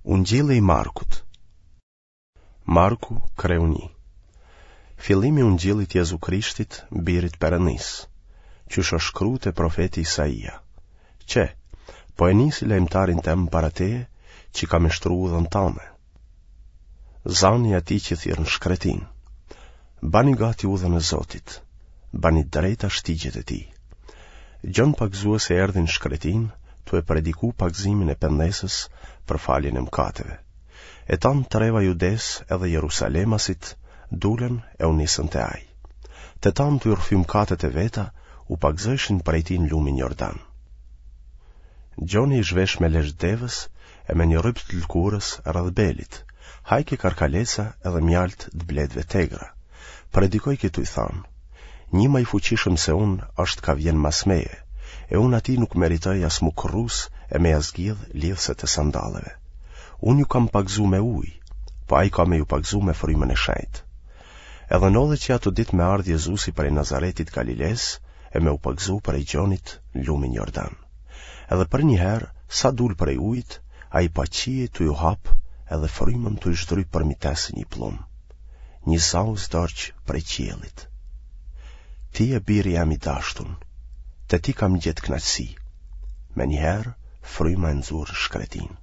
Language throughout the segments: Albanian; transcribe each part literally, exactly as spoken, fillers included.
Ungjilli i Markut. Marku, kreu një. Fillimi i Ungjillit Jezu Krishtit, birit Perëndisë, qysh është shkru te profeti Isaia. Qe, po e nisi lajmëtarin tem para teje, që ka me shtru udhën tame. Zani i atij që thirr në shkretinë. Bani gati udhën e Zotit, bani drejta shtigjet e tij. Gjon Pagëzuesi erdhi në shkretinë, tu e prediku pagëzimin e pendesës për faljen e mëkateve. E tanë treva Judesë edhe Jerusalemasit dulën e u nisën te ai. Të tanë tu i rrëfy mëkatet e veta, u pagëzojshin prej tij në lumin Jordan. Gjoni ish vesh me lesh devës e me një rryp të lëkurës rreth belit, hajke karkaleca edhe mjaltë të bletëve t'egra. Predikojke tuj thanë, Nji ma i fuqishëm se unë është ka vjen mas meje, e unë atij nuk meritoj as m'u kërrus e me ia zgjidh lidhëset e sandalleve. Unë ju kam pagëzu me ujë, po ai ka me ju pagëzu me frymën e shenjtë. Edhe ndodhi që ato ditë me ardhë Jezusi prej Nazaretit Galilesë e me u pagëzu prej Gjonit në lumin Jordan. Edhe përnjëherë, sa dul prej ujit, ai pa qiejt tu ju hapë edhe frymën tuj zdryp përmi te si një pllum. Një za u zdorq prej qiellit. Ti je biri jem i dashtun, te ti kam gjetë kënaqësi. Menjëherë, fryma e nxuri në shkretinë.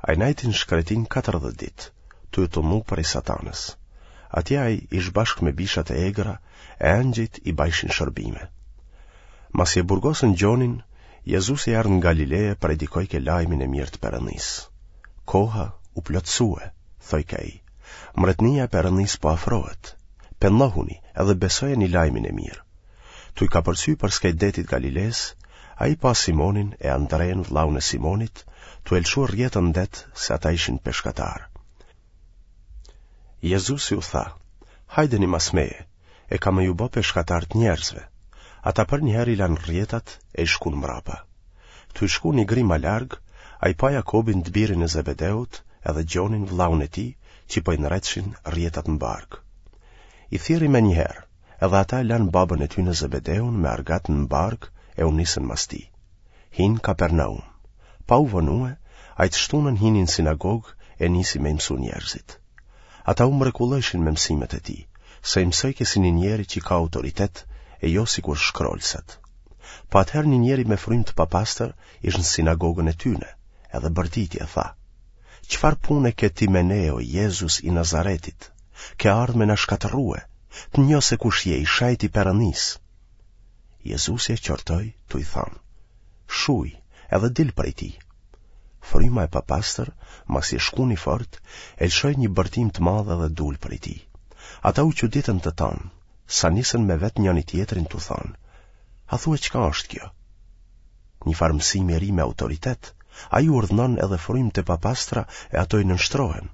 Ai nejti në shkretinë katërdhjetë ditë, tuj u tundu prej satanës. Atje ai ish bashkë me bishat e egra, e engjëjt i bajshin shërbime. Masi e burgosën Gjonin, Jezusi erdh në Galile e predikojke lajmin e mirë të Perëndisë. Koha u plotësue, thojke ai. Mbretnia e Perëndisë po afrohet. Pendohuni edhe besojeni lajmin e mirë. Tuj kapërcy përskaj detit Galilesë, ai pa Simonin e Andrenë vëllaun e Simonit, tu e lëshu rrjetën në det se ata ishin peshkatarë. Jezusi u tha, hajdeni mas meje, e kam me ju bo peshkatarë të njerëzve. Ata përnjëherë i lanë rrjetat e i shkun mrapa. Tuj shku një grimë ma larg, ai pa Jakobin të birin e Zebedeut edhe Gjonin vëllaun e tij, që po i ndreqshin rrjetat në barkë. I thirri menjëherë, edhe ata e lanë babën e tyne Zebedeun me argat në barkë e u nisën mas tij. Hinë Kapernaum. Pa u vonue, ai të shtunën hini në sinagogë e nisi me i mësu njerëzit. Ata u mrekullojshin me mësimet e tij, se i mësojke si një njeri që ka autoritet e jo sikur shkrolësat. Po atëherë një njeri me frymë të papastër ish në sinagogën e tyne, edhe bërtiti e tha, Çfarë pune ke ti me ne, o Jezus i Nazaretit? Ke ardhë me na shkatërrue, të njoh se kush je, i shejti i Perëndisë. Jezusi e qortoi, tuj thanë, Shuj, edhe dil prej tij. Fryma e papastër, masi e shkuni fort, e lëshoi një bërtimë të madhe dhe dul prej tij. Ata u çuditën të tanë, sa nisën me vet njëri-tjetrin tu thanë, A thue çka është kjo? Një farë mësimi i ri me autoritet, ai urdhënon edhe frymë të papastra e ato i nënshtrohen.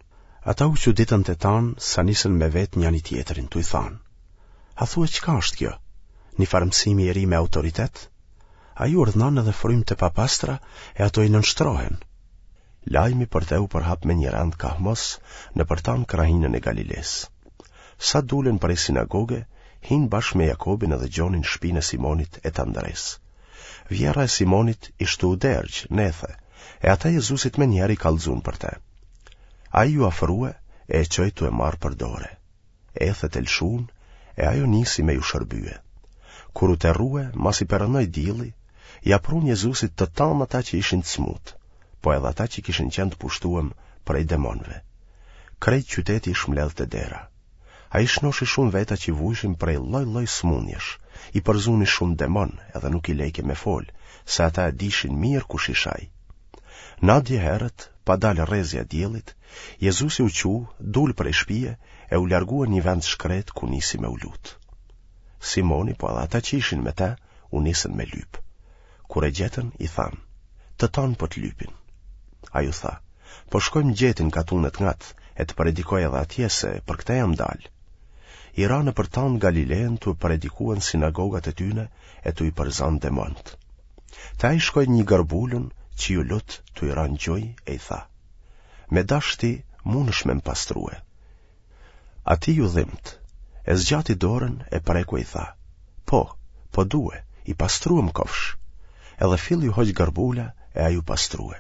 Ata u çuditën të tanë, sa nisën me vet njëri-tjetrin tuj thanë, A thue çka është kjo? Një farë mësimi i ri me autoritet? Ai urdhënon edhe frymë të papastra e ato i nënshtrohen. Lajmi për te u përhap me një rend kahmos nëpër tanë krahinën e Galilesë. Sa dulën prej sinagoge, hinë bashkë me Jakobin edhe Gjonin n'shpinë e Simonit e të Andresë. Vjerra e Simonit ish tu u dergj, n'ethe, e ata Jezusit menjëherë i kallxun për te. Ai iu afrue e e çoi tu e marrë për dore. Ethet e lëshun, e ajo nisi me ju shërbye. Kur u terrue, masi perëndoi dielli, ia prunë Jezusit të tanë ata që ishin të smutë, po edhe ata që kishin qenë të pushtuem prej demonëve. Krejt qyteti ish mbledhë te dera. Ai shnoshi shumë veta që vujshin prej lloj-lloj sëmundjesh, i përzuni shumë demonë edhe nuk i lejke me folë, se ata e dishin mirë kush ish ai. Nadje herët, pa dalë rrezja e diellit, Jezusi u çu, dul prej shpie e u largue në një vend shkretë ku nisi me u lutë. Simoni, po edhe ata që ishin me te, u nisën me lypë. Kur e gjetën, i thanë, të tanë po të lypin. Ai u tha, po shkoj më gjetin katunet ngat e të predikoj edhe atje se për këtë jam dalë. I ra nëpër tanë Galilenë tu predikue në sinagogat e tyne e tu i përzanë demonët. Te ai shkoi një gërbulun që iu lut tu i ra në gjuj e i tha, me dash ti munësh me më pastrue. Atij iu dhimt, e zgjati dorën e preku e i tha, po, po due, i pastruem kofsh. Edhe fill iu hoq gërbula e ai u pastrue.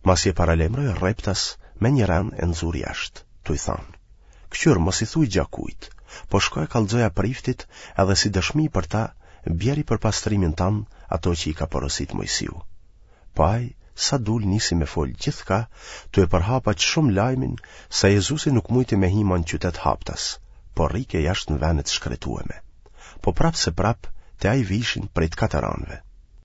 Masi e paralajmëroi rreptas, menjëherë e nxuri jashtë, tuj thanë, Këqyr, mos i thuj gja kujt, po shko e kallxoja priftit edhe si dëshmi për ta, bjeri për pastrimin tand ato që i ka porositë Moisiu. Po ai, sa dul nisi me fol gjithkah, tu e përhap aq shumë lajmin, sa Jezusi nuk mujti me hi ma në qytet haptas, po rrike jashtë në vene të shkretueme. Po prapë se prapë, te ai vishin prej të katër anëve.